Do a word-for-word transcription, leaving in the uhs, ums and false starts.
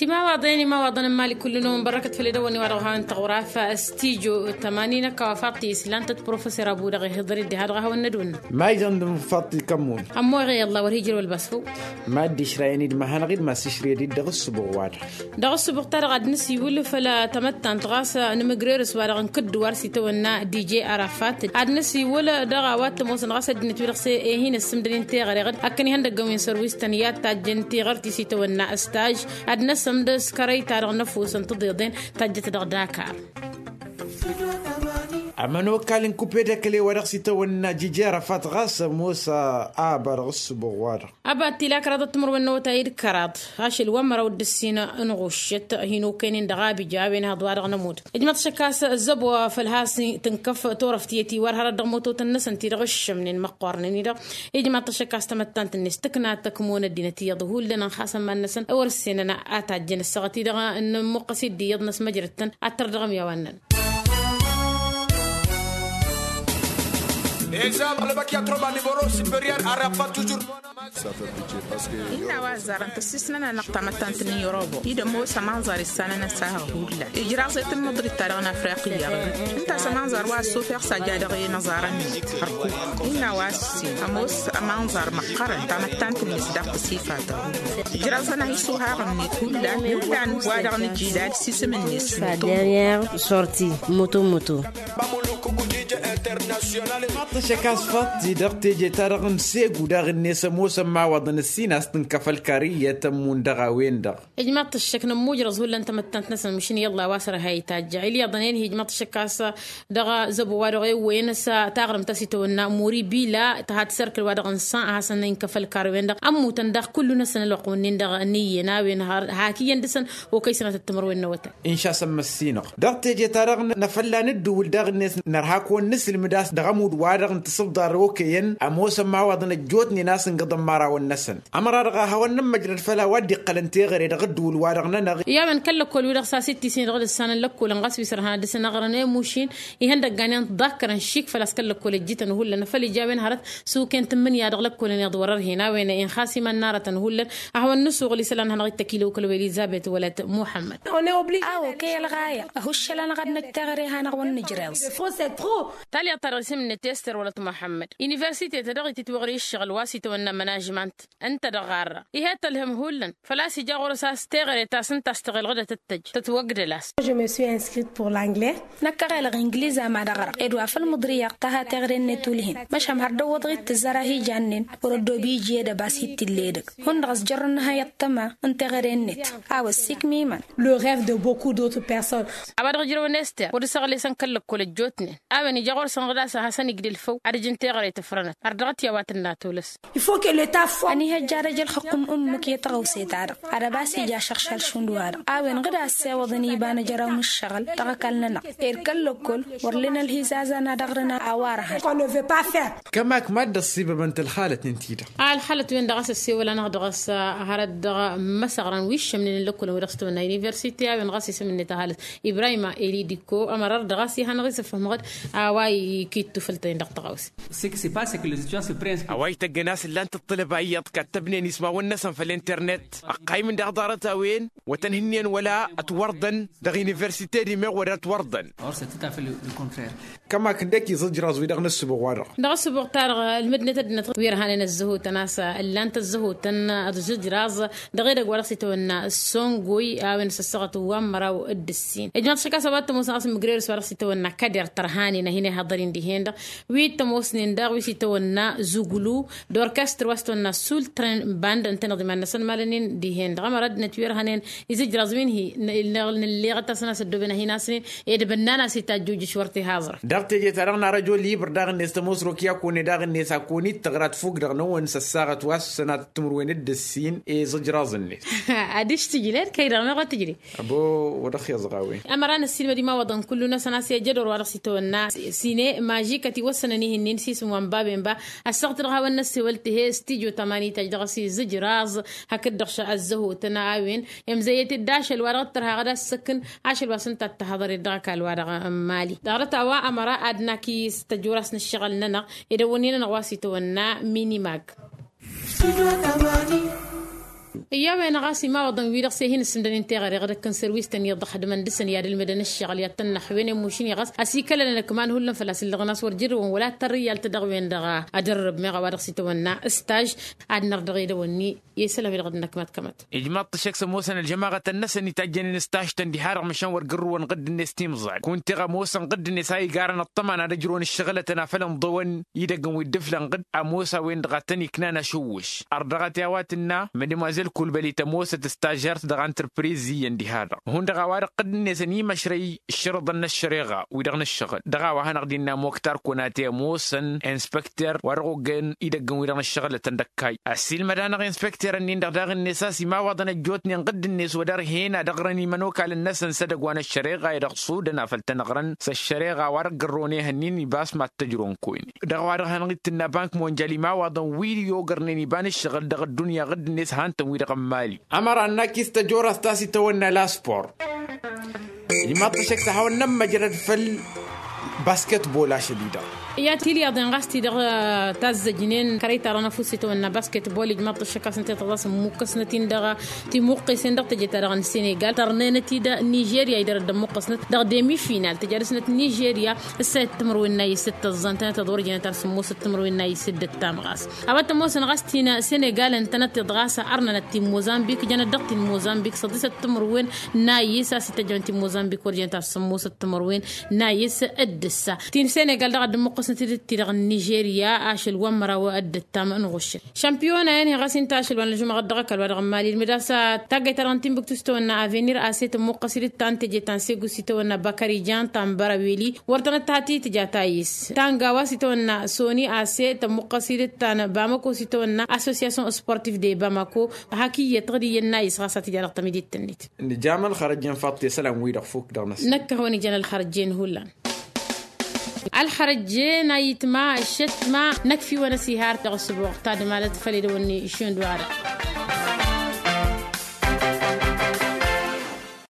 Imawaḍen imawaḍen n-imali kullu-năwăn bărrăkăt făll-edăwănni wa dăɣ-hawăn-tăɣura f-stijo tămani n-ăkk a-wa faḍt-i s-lan-tăt professor abu-dăɣ ihǝḍăr-dd diha dăɣ-a hawăn-nădwǝnna. Mayăn d-mǝnfaḍt-i kămmon. Ămmoɣe i-ălla wăr hi-jăr wăl basfăw. Mad-išrayăn-dd mahănăɣ-dd ma s-išrăyăd-dd dăɣ-ǝssǝbuɣ-wa-dăɣ. Dăɣ-ǝssǝbuɣ-ta-dăɣ ad-nǝsiwǝl făll-tamăttant ɣas nǝmǝgrerǝs wa-dăɣ n-kǝddǝwar s-itawănna dije arafat. Ad-nǝsiwǝl dăɣ-a-wa t-ămoosăn ɣas ăddinăt wi-dăɣ s-e-hin-ǝssǝmdăd-in teɣăre iɣǝd. Akkăn ihăndăggăn wi n-sărwis tăn-i ad-tajjăn tiɣărt-i s-itawănna staj. Ad-năsǝmd s-kărăy-ta-dăɣ n-ăfuss n-tiḍeḍen tajjăt dăɣ-dakar. Ămănokal n-kupe d-ăkle wa dăɣ-s itawănna jije arăfat ɣas ămoos a ăba dăɣ-ǝssǝbuɣ-wa-dăɣ. Ăba t-ila kăraḍăt timǝrwen n-awătay d-kăraḍ ašăl wa n-măraw d-ǝssin n-ɣuššăt hin-okăynen dăɣ-abija a-wen haḍ-wa-dăɣ nămud. Ijmăḍ-t ašăk a-s ăzzăbo făll-has tǝnkăf turăft i-ătiwar hărăt dăɣ-mototăn-năsăn ti-dăɣ ǝššămnen măqqoornen-i-dăɣ. Ijmăḍ-t ašăk a-s tamăttant-net tǝkna tăkmonăt dinăt iyyăḍ hullan ănxasăn iman-năsăn a wăr-ǝssenăn a tajjăn ăssaɣăt-i-dăɣ n-imuqqăs-dd iyyăḍ n-ăsmăjrăd-tăn ad-tărdăɣăm i-a-wa ǝnnăn. Exemple băk i-atrăba nivoro superior arăfa tujur. Innă a-wa ăzzarăn tăssisnăn-anăɣ tamăttant n-irobo-i d-ămoos ămanẓar issanăn ăsahăɣ hullan ijraẓ i-tǝmmǝḍrit-ta-dăɣ n-afriqiyya. Ǝnta a-s ămanẓar wa ăssufeɣ s-ajja dăɣ-i n-aẓarăn-net hărkuk. Innă a-wa ăssin ămoos ămanẓar măqqărăn tamăttant-net daɣ tăsifatăɣ. Ijraẓăn-ahi isuhaɣ-net hullan hullan wa dăɣ-nǝjjidad s-isǝm-net. Sa dernière sortie moto moto. Tăšăk a-s faḍt-i dăɣ-teje-ta-dăɣ n-segu daɣ-net ămoosăn imawaḍăn ǝssin a-s tǝnkăf ălkar iyyăt ămmun dăɣ-a-wen-dăɣ. Ijmaḍ-t ăššăk nămmuj răẓ hullan tamăttant-năsăn măšin i-ălla a-wa s-ărha itajja ilyaḍăn-en hi-ijmaḍ-t ăššăk a-s dăɣ-zăbo wa dăɣ-ewwăyăn s-taɣrǝmt ta s-itawănna muri bila tăha-t s-erkǝl wa dăɣ-nǝssan a hasăn-inkăf ălkar-wen-dăɣ ămmutăn daɣ kullu-năsăn ălwăqq wǝnnin-dăɣ n-iyyăn a-wen hak iyyăn dăɣ-săn okăy sănatăt timǝrwen n-awătay. Inša a-s ămmăssinăɣ dăɣ-teje-ta-dăɣ năfălla nǝddǝwǝl daɣ-net nărha kăwăn-nǝslǝmǝd a-s dăɣ-ămudd-wa-dăɣ n-tisǝbḍar okăyăn ămoosăn imawaḍăn ăjjootnen a-s ǝngǝḍăn imărawăn-năsăn. Ămăra-dăɣ a hawăn-nǝmmăjrăd făll-a-wa dd-iqqălăn teɣăre dăɣ-ăddǝwǝl-wa-dăɣ-nănăɣ. I-a-wen kăl-lăkkol-wi-dăɣ s-a-s ittisnen dăɣ-dd-ǝssanăn lăkkolăn ɣas wi s-ărhăn ad-dăr-săn aɣrăn i-mušin ihăndăggan i-ănḍakkărăn šik făl-a-s kăl-lăkkol ăjjităn hullan făl ija a-wen hărăt s-uken tǝmmǝnǝya dăɣ-lăkkolăn iḍwărăr-hen a-wen inxas iman n-aratăn hullan. A hawăn-nǝsuɣǝl isălan hanăɣ-dd-tăkilăwkăl welizabet wălăt muḥămmăd. Awo kăy-ălɣaya ăhuššăl-anăɣ ad-năj teɣăre hanăɣ-wăn-nǝjreẓ. Talyaḍt-ta-dăɣ isǝm-net ester wălăt muḥămmăd universite-ta dăɣ-ititwăɣri ǝššăɣǝl wa s-itawănna mănažmant ǝnta dăɣ-ɣarra. Ih'-e tălhǝm hullan făl-a-s ija ɣur-s a-s teɣăre ta s-ǝnta a-s tăɣelɣădăt d-tăjj tătwăgdăl-as. Je me suis inscrit pour l'anglais. Năkk ăɣelăɣ ingliz ama d-ăɣrăɣ ed wa făl mǝḍrǝyăɣ tăha teɣăre-net ulhin măšham har dăwwăḍ-ɣ-dd-tǝzzăr a hi-jannen. Wăr-ăddoobiji ed ăbas hi-t-illa edăgg hundăɣ ăsjărrăn nǝha i-ăṭṭăma n-teɣăre-net. A-wa ăssiikmimăn. Le rêve de beaucoup d'autres personnes. A-wa dăɣ-ǝjrăwăn ester wăr-dd-săɣlesăn kăl-lăkkol ăjjootnen a-wen ija ɣur-săn ɣǝd a-s ad-hasăn-igdǝl făw ad-ǝjǝn teɣăre tǝfrănăt ărdăɣăt i-a-wa tǝnna tolăs. Ănihăjja ad-ăj ălxăqq n-ǝmmǝk i-tăɣawse-ta-dăɣ ad-ăbas ija ašăɣšal šund-wa-dăɣ a-wen ɣǝd a ăssewăḍăn iba n-ajăraw n-ǝššăɣǝl dăɣ-ăkall-nănăɣ. Ed kăl-lăkkol wăr len ălhizazan ad-ăɣrǝn a-wa ărhăn. Kămak mad-dd-ăṣṣibăbăn-t ălxalăt-in-ti-dăɣ. A ălxalăt-wen-dăɣ a-s ăssewăl-anăɣ dăɣ-s hărăt dăɣ-imăsăɣran wi ǝššămnen n-lăkkolăn wi dăɣ-s tăwănna universite a-wen ɣas isǝm-net ăhalăt ibrahima elidiko ămăra ărdăɣ a-s ih'-anăɣ-isǝfhǝm ɣǝd a-wa ikittu făll-tăyăn dăɣ-tăɣawse. A-wa ităggăn a-s ǝllan-t ăṭṭălăba iyyăḍ kattăbnen ismawăn-năsăn făll-internet ăqqaymǝn daɣ ḍarăt-a-wen wăr tăn-hǝnnen wăla ătwărḍăn dăɣ-universite d-imeɣ wăr ătwărḍăn. Kămak ǝndek iẓǝjraẓ wi-dăɣ n-ǝssǝbuɣ-wa-dăɣ. Dăɣ-ǝssǝbuɣ-ta-dăɣ ǝlmǝdnet ăddinăt wi ărhanen ăzzăhutăn a-s ǝllan-t ăzzăhutăn d-iẓǝjraẓ dăɣ-edăgg wa dăɣ-s itawănna săngoy a-wen s-ăssaɣăt wa n-măraw d-ǝssin ijmaḍ šăkk a-s a-wa t-ămoosăn ɣas mǝgrerǝs wa dăɣ-s itawănna kăder tărhanen a hin-ihăḍăr-in dihen-dăɣ. Wi t-ămoosnen daɣ wi s-itawănna zuglu d-orkestăr wa s-itawănna sultren band ǝntăneḍ iman-năsăn malănen dihen-dăɣ ămăra ăddinăt wi ărhănen izǝjraẓ wi n-hi nǝlleɣăt-asăn a-s ăddooben ad-hin-asnen ed bănnan a-s itajjujǝš wăr t-ihaẓrăt. Dăɣ-teje-ta-dăɣ n-arăjo libăr daɣ-net tămoos rok i-akone daɣ-net a kăwăn-dd-tăɣra tfuk dăɣ-năwăn s-ăssaɣăt wa s-sănatăt timǝrwen d-ǝssin i-iẓǝjraẓ-net. Adiš tǝjled kăy-dăɣ meɣ wa tǝjled. Ăbo wăr dăɣ-t-iẓɣa a-wen. Ămăra năssiilmăd imawaḍăn kullu-năsăn a-s i-ajădor wa dăɣ-s itawănna sine mažikăt iwăssănăn ihǝnnin s-isǝm wa n-baben ba. Ăssaɣăt dăɣ-hawăn-năssewăl tǝhe s-tijo tămani taj dăɣ-s izǝjraẓ hakd-dăɣ ăzzăhotăn a-wen. Imzăyyăt-dd ašăl wa dăɣ-t-tărha ɣăd a-s săkkǝn ašăl wa s-ǝnta a t-tăhăḍăr-dd dăɣ-ăkall wa dăɣ-n mali dăɣ-dăt a-wa ămăra ad-nak-i s-tăjjur-as n-ǝššăɣǝl-nănăɣ. Edăwănni-nănăɣ wa s-itawănna minimag. Iyya a-wen ɣas imawăḍăn-wi-dăɣ s-e-hin-ǝssǝmdănen teɣăre ɣǝd-ăkkăn serwis-tăn iyyăḍ ăxdǝmăn dăɣ-săn i-ad-ǝlmǝdăn ǝššăɣǝl i-ad-tăn-năxwăyăn i-mušǝn-i ɣas ăsikălăn ănăkman hullan făl-a-s ǝllăɣăn a-s wăr jărrǝwăn wăla tărrǝyyal-tădăɣ-wen-dăɣ. Ad-ărrǝb meɣ a-wa dăɣ-s itawănna staj ad-năr dăɣ-edăwănni. I-isălan-wi-dăɣ dd-năkmat kămăt. Ijmaḍ-t ăššăk s-ămoosăn ălžămaɣătăn-năsăn itajjănen staj-tăn diha-dăɣ măšan wăr gărrǝwăn ɣǝdd-net timẓal kunta iɣ-ămoosăn ɣǝdd-net a igarăn ăṭṭăma n-ad-ăjrăwăn ǝššăɣǝlătăn a făl ǝnḍăwăn idăggăn wi dd-ǝflăn ɣǝdd. Ămoos a-wen-dăɣ a tăn-iknan ašǝwwǝš ărdăɣăt i-a-wa tǝnna mădmăzel kulbălit ămoosăt stažert dăɣ-antrăpriz iyyăn diha-dăɣ hundăɣ a-wa-dăɣ ɣǝdd-net ănimăšrăy ǝššărǝḍăn n-ăššăreɣa wi-dăɣ n-ǝššăɣǝl dăɣ-a-wa hanăɣ-dd-innă moktar kunate ămoosăn inspăkter wa dăɣ-oggăyăn idăggăn wi-dăɣ n-ǝššăɣǝlătăn d-ăkkay ăssiilmăd-anăɣ inspăkter-ǝnnin-dăɣ daɣ-net a-s imawăḍăn ăjjootnen ɣǝdd-net wăr-dărhen ad-ăɣrăn imănokalăn-năsăn s-edăgg wa n-ăššăreɣa i-dăɣ s-udăn a făl tăn-ăɣrăn s-ăššăreɣa wa dăɣ-gărrăwăn ehăn-in ibas mad-tăjrăwăn kăwăynen. Dăɣ-a-wa-dăɣ hanăɣ-dd-tǝnna bank monjal imawăḍăn wi-dăɣ i-ogărnen iba n-ǝššăɣǝl dăɣ-ăddunya ɣǝdd-net han-tăn wi-dăɣ n-imali. Ămăra n-akis tăjorast ta s-itawănna laspor. Ijmaḍ-t ăššăk s-ad-hawăn-nămmăjrăd făll-basketbol ašăl-i-dăɣ. I-ad-tilyaḍen ɣas-t-i-dăɣ tazzăjnen kărăy-ta-dăɣ n-ăfuss itawănna basketbol ijmaḍ-t ăššăk a-s ǝnta i-tăḍas ǝmmukkăsnăt-in dăɣ-timuqqesen dăɣ-tejăt-ta-dăɣ n-senegal tărnenăt-dd nižerya i-dăr-dd ămmuqqăsnăt dăɣ-demi final tǝja dăɣ-snăt nižerya. Ǝssayăt timǝrwen n-ayǝs d-tăẓẓa ǝntănăt ad-wăr jănăt ar sǝmmosăt timǝrwen n-ayǝs d-ǝttam ɣas a-wa t-ămoosăn ɣas t-in-senegal ǝntănăt-iḍ ɣas ărnănăt ti n-mozambik jănăt dăɣ-ti n-mozambik săḍisăt timǝrwen n-ayǝs a-s ităjjăwăn ti n-mozambik wăr jănăt ar sǝmmosăt timǝrwen n-ayǝs. D-ǝssa ti n-senegal dăɣ-ad-dd-ămmuqqăsnăt-dd ti-dăɣ n-nižerya ašăl wa n-măraw d-ǝttam n-iɣuššăn šămpiyona-en-hi ɣas ǝnta ašăl wa n-ălžumăɣăt dăɣ-ăkall wa dăɣ-n mali ǝlmǝd a-s taggayt-ta-dăɣ n-timbuktu s-tawănna avenir a-s e-tămmuqqăs-dd ta n-teje ta n-segus s-itawănna bakarijan ta n-băraweli wăr tănăt-tăhăt i-tǝja ta yis ta n-gawa s-itawănna soni a-s e-tămmuqqăs-dd ta n-bamako s-itawănna association sportif de bamako. Hak iyyăt ɣǝd iyyăn n-ayis ɣas ad-t-ija dăɣ-tămidit-net. Nǝjam ălxărăjjen faḍt i-isălan-wi-dăɣ fuk dăɣ-năsăn. Năkkăhăwăn ija n-ălxărăjjen hullan. Ălxărăjjen a itma ăššătma năkf'-iwăn ăsihar dăɣ-ăsbuɣ tadmalăt făll-edăwănni šund wa-dăɣ.